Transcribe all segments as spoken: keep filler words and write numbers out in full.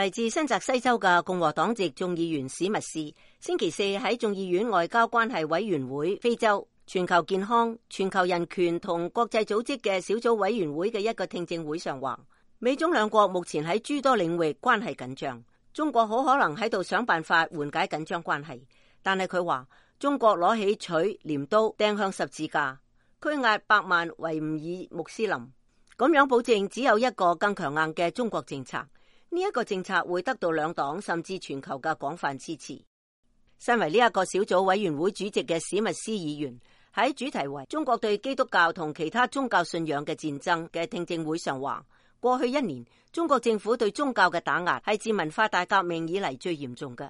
嚟自新澤西州嘅共和黨籍眾議員史密斯，星期四喺眾議院外交關係委員會非洲、全球健康、全球人權同國際組織嘅小組委員會嘅一個聽證會上話，美中兩國目前喺諸多領域關係緊張，中國好可能喺度想辦法緩解緊張關係。但係佢話，中國攞起錘鐮刀掟向十字架，拘押百萬維吾爾穆斯林，咁樣保證只有一個更強硬嘅中國政策。呢一個政策會得到兩黨甚至全球嘅廣泛支持。身為呢一個小組委員會主席嘅史密斯議員喺主題為中國對基督教同其他宗教信仰嘅戰爭嘅聽證會上話，過去一年中國政府對宗教嘅打壓係自文化大革命以嚟最嚴重嘅。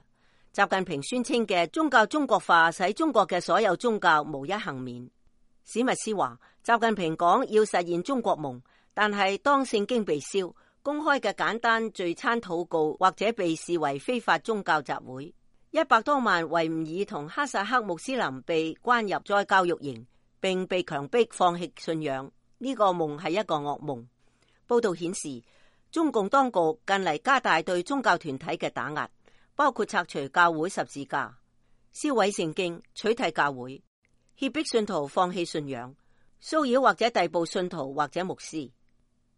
習近平宣稱嘅宗教中國化使中國嘅所有宗教無一幸免。史密斯話，習近平講要實現中國夢，但係當聖經被燒，公開嘅簡單聚餐禱告或者被視為非法宗教集會，一百多萬維吾爾同哈薩克穆斯林被關入再教育營，並被強迫放棄信仰。呢個夢係一個噩夢。報道顯示，中共當局近嚟加大對宗教團體嘅打壓，包括拆除教會十字架、燒毀聖經、取締教會、脅迫信徒放棄信仰、騷擾或者逮捕信徒或者牧師。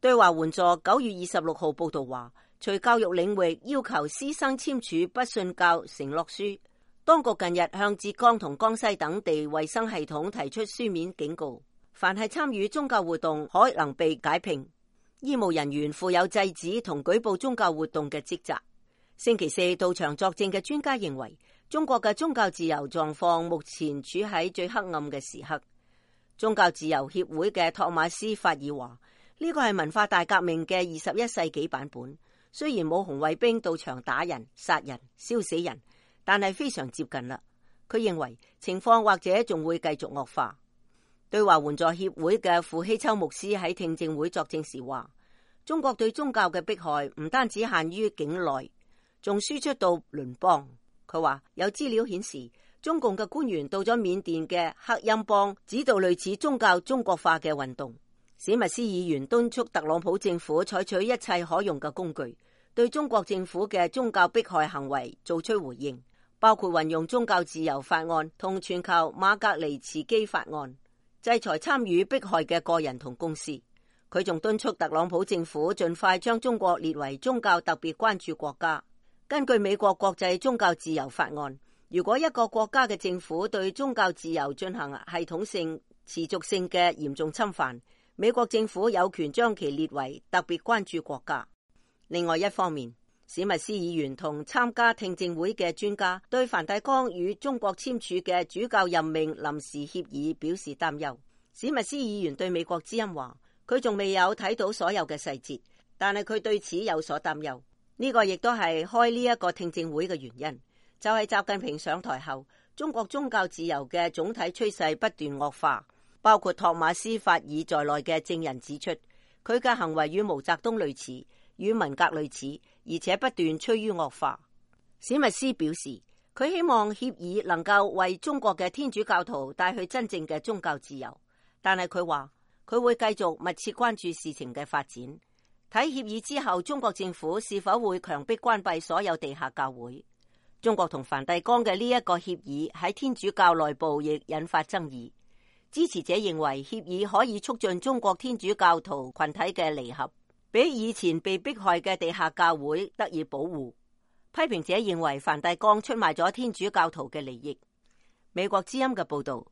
對華援助九月二十六號報道話，除教育領域要求師生簽署不信教承諾書，當局近日向浙江同江西等地衛生系統提出書面警告，凡係參與宗教活動可能被解聘。醫務人員負有制止同舉報宗教活動嘅職責。星期四到場作證嘅專家認為，中國嘅宗教自由狀況目前處喺最黑暗嘅時刻。宗教自由協會嘅托馬斯法爾話，呢個係文化大革命嘅二十一世紀版本，雖然冇紅衛兵到場打人、殺人、燒死人，但係非常接近啦。佢認為情況或者仲會繼續惡化。對華援助協會嘅傅希秋牧師喺聽證會作證時話，中國對宗教嘅迫害唔單止限於境內，仲輸出到鄰邦。佢話有資料顯示，中共嘅官員到咗緬甸嘅克欽邦，指導類似宗教中國化嘅運動。史密斯議員敦促特朗普政府採取一切可用嘅工具，對中國政府嘅宗教迫害行為做出回應，包括運用宗教自由法案同全球馬格尼茨基法案，制裁參與迫害嘅個人同公司。佢仲敦促特朗普政府盡快將中國列為宗教特別關注國家。根據美國國際宗教自由法案，如果一個國家嘅政府對宗教自由進行系統性、持續性嘅嚴重侵犯，美國政府有權將其列為特別關注國家。另外一方面，史密斯議員同參加聽證會嘅專家對梵蒂岡與中國簽署嘅主教任命臨時協議表示擔憂。史密斯議員對美國之音話，佢仲未有睇到所有嘅細節，但係佢對此有所擔憂。呢個亦都係開呢一個聽證會嘅原因，就係習近平上台後，中國宗教自由嘅總體趨勢不斷惡化。包括托馬斯法爾在內嘅證人指出，佢嘅行為與毛澤東類似，與文革類似，而且不斷趨於惡化。史密斯表示，佢希望協議能夠為中國嘅天主教徒帶去真正嘅宗教自由，但係佢話佢會繼續密切關注事情嘅發展，睇協議之後中國政府是否會強迫關閉所有地下教會。中國同梵蒂岡嘅呢一個協議喺天主教內部亦引發爭議。支持者認為協議可以促進中國天主教徒群體嘅離合，比以前被迫害嘅地下教會得以保護。批評者認為梵蒂岡出賣咗天主教徒嘅利益。美國之音嘅報道。